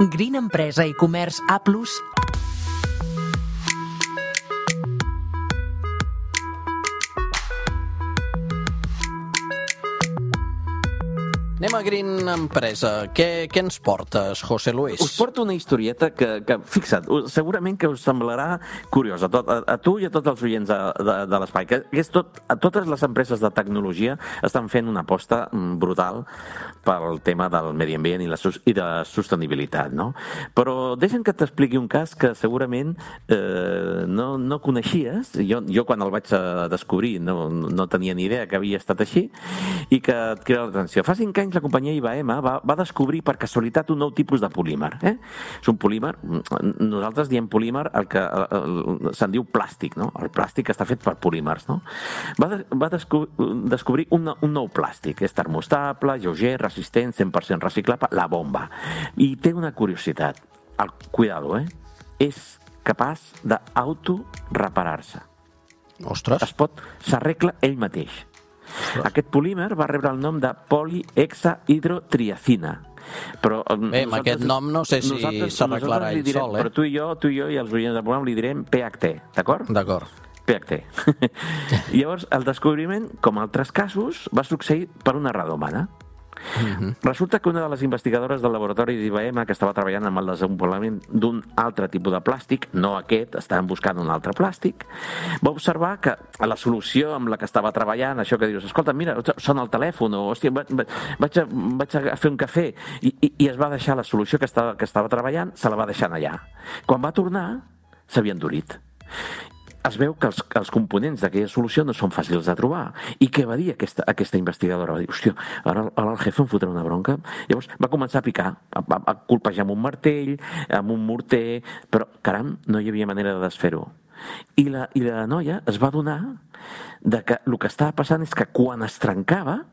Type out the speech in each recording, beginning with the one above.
Green Empresa i Comerç A+. Anem a Green Empresa. Què ens portes, José Luis? Us porto una historieta que fixa't, segurament que us semblarà curiosa a tu i a tots els oients de l'espai, que és totes les empreses de tecnologia estan fent una aposta brutal pel tema del medi ambient i de sostenibilitat, no? Però deixa'm que t'expliqui un cas que segurament no coneixies. Jo quan el vaig descobrir no tenia ni idea que havia estat així i que et crida l'atenció. Fa 5 anys la companyia IBM va descobrir per casualitat un nou tipus de polímer. És un polímer, nosaltres diem polímer el que se'n diu plàstic, no? El plàstic està fet per polímers, no? Va descobrir un nou plàstic. És termostable, lleuger, resistent, 100% reciclable, la bomba. I té una curiositat. Cuidado, és capaç d'autoreparar-se. Ostres! S'arregla ell mateix. Aquest polímer va rebre el nom de polihexahidrotriacina. Bé, amb aquest nom no sé si s'arreglarà ell sol, Però tu i jo i els oients del programa li direm PHT, d'acord? D'acord. PHT. Llavors, el descobriment, com altres casos, va succeir per una errada humana. Resulta que una de les investigadores del laboratori d'IBM, que estava treballant amb el desenvolupament d'un altre tipus de plàstic, no aquest, estaven buscant un altre plàstic, va observar que a la solució amb la que estava treballant, això que dius, escolta, mira, sona el telèfon, o hòstia, vaig a fer un cafè, i es va deixar la solució que estava treballant, se la va deixar allà. Quan va tornar, s'havia endurit. Es veu que els components d'aquella solució no són fàcils de trobar. I què va dir aquesta investigadora? Va dir, hòstia, ara el jefe em fotrà una bronca. Llavors va començar a picar, a colpejar amb un martell, amb un morter, però, caram, no hi havia manera de desfer-ho. I la noia es va adonar que el que estava passant és que quan es trencava,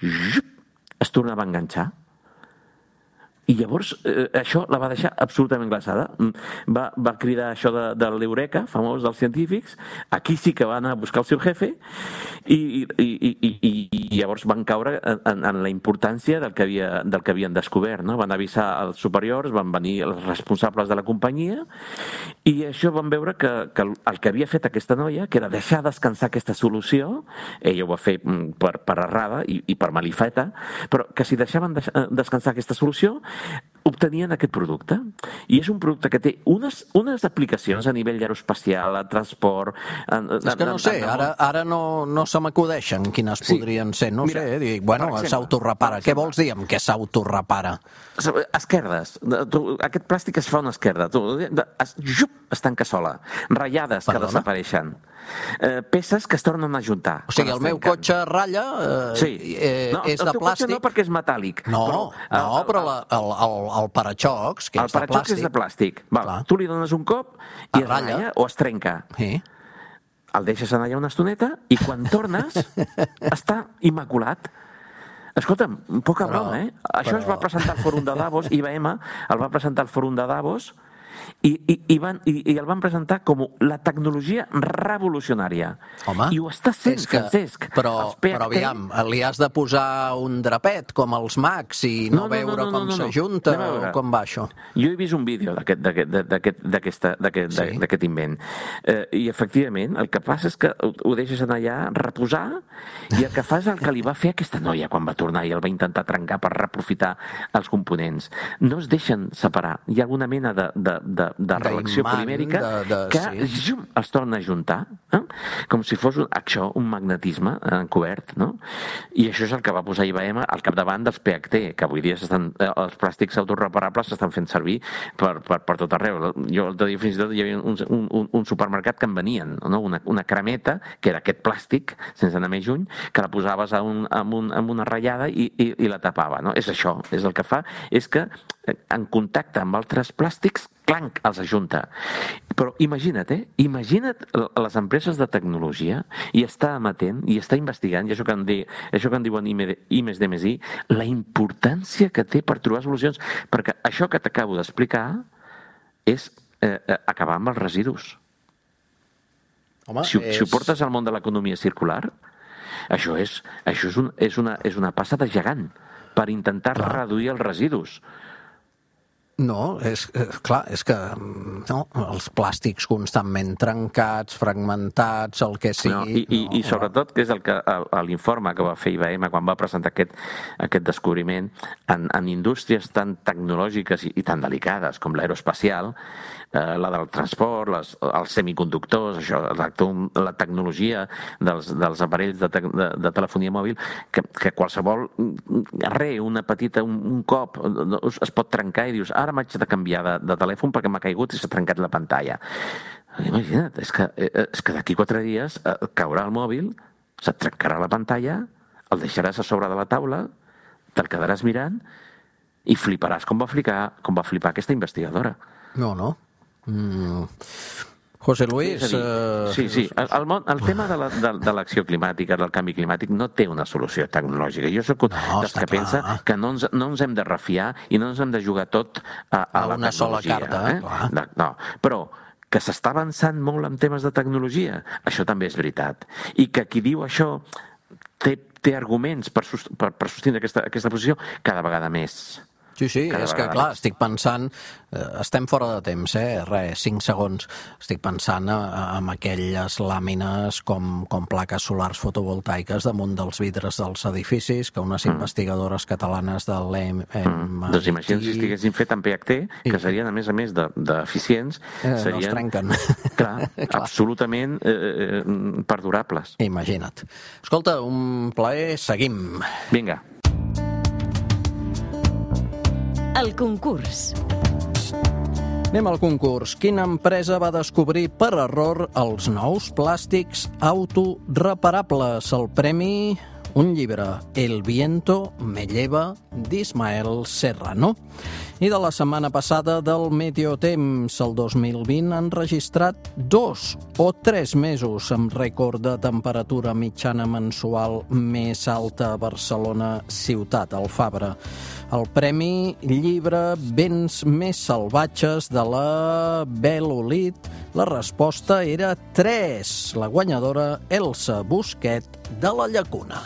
es tornava a enganxar. I llavors això la va deixar absolutament glaçada. Va cridar això de l'Eureka, famós dels científics. Aquí sí que va anar a buscar el seu jefe i llavors van caure en la importància del que havien descobert, no? Van avisar els superiors, van venir els responsables de la companyia i això van veure que el que havia fet aquesta noia, que era deixar descansar aquesta solució, ella ho va fer per errada i per malifeta, però que si deixaven descansar aquesta solució obtenien aquest producte. I és un producte que té unes aplicacions a nivell aeroespacial, a transport... És que no sé, ara no se m'acudeixen quines podrien ser. No sé, dic, bueno, s'autorepara. Què vols dir amb què s'autorepara? Esquerdes. Aquest plàstic es fa una esquerda. Es tanca sola. Ratllades que desapareixen. Peces que es tornen a juntar. O sigui, el meu cotxe ratlla és de plàstic. El teu cotxe no, perquè és metàl·lic. No, però el paraxocs, que és de plàstic... El paraxocs és de plàstic. Tu li dones un cop i es ratlla o es trenca. El deixes anar allà una estoneta i quan tornes està immaculat. Escolta'm, poca broma, Això es va presentar al Fòrum de Davos, IBM el va presentar al Fòrum de Davos i el van presentar com la tecnologia revolucionària. Home, i ho està sent, Francesc. Però aviam, li has de posar un drapet com els Macs i no veure com s'ajunta o com va això? Jo he vist un vídeo d'aquest invent i efectivament el que passa és que ho deixes anar allà reposar i el que fa és el que li va fer aquesta noia quan va tornar i el va intentar trencar per reaprofitar els components. No es deixen separar. Hi ha alguna mena de reacció polimèrica que els torna a juntar, com si fos un magnetisme encobert, no? I això és el que va posar IBM al capdavant dels PHT, que avui dia els plàstics autoreparables s'estan fent servir per tot arreu. Jo l'altre dia fins i tot hi havia un supermercat que en venien, una cremeta, que era aquest plàstic, sense anar més lluny, que la posaves amb una ratllada i la tapava, no? És això, és el que fa, és que en contacte amb altres plàstics, clanc, els ajunta. Però imagina't les empreses de tecnologia i està amatent, i està investigant, i això que en diuen I+D+I, la importància que té per trobar solucions, perquè això que t'acabo d'explicar és acabar amb els residus. Si ho portes al món de l'economia circular, això és una passa de gegant per intentar reduir els residus. No, és que els plàstics constantment trencats, fragmentats, el que sigui... I sobretot, que és el que l'informe que va fer IBM quan va presentar aquest descobriment, en indústries tan tecnològiques i tan delicades com l'aeroespacial, la del transport, els semiconductors, això, la tecnologia dels aparells de telefonia mòbil, que qualsevol una petita, un cop es pot trencar i dius, ara m'haig de canviar de telèfon perquè m'ha caigut i s'ha trencat la pantalla. Imagina't, és que d'aquí 4 dies caurà el mòbil, se't trencarà la pantalla, el deixaràs a sobre de la taula, te'l quedaràs mirant i fliparàs com va flipar aquesta investigadora. No. José Luis... Sí. El tema de l'acció climàtica, del canvi climàtic, no té una solució tecnològica. Jo soc dels que pensa que no ens hem de refiar i no ens hem de jugar tot a la una sola carta. No, però que s'està avançant molt en temes de tecnologia, això també és veritat. I que qui diu això té arguments per sostindre aquesta posició cada vegada més. Sí, és que clar, estic pensant, estem fora de temps, 5 segons, estic pensant en aquelles làmines com plaques solars fotovoltaiques damunt dels vidres dels edificis que unes investigadores catalanes de l'MIT... Doncs imagina't si estiguessin fet en PHT, que serien, a més d'eficients, no es trenquen. Clar, absolutament perdurables. Imagina't. Escolta, un plaer, seguim. Vinga. El concurs. Anem al concurs. Quina empresa va descobrir per error els nous plàstics autoreparables? El premi, un llibre, El viento me lleva, d'Ismael Serrano. I de la setmana passada del Meteotemps, el 2020, han registrat 2 o 3 mesos amb rècord de temperatura mitjana mensual més alta a Barcelona ciutat, al Fabra. El premi llibre Vents més salvatges de la Belolit. La resposta era 3. La guanyadora, Elsa Busquet, de la Llacuna.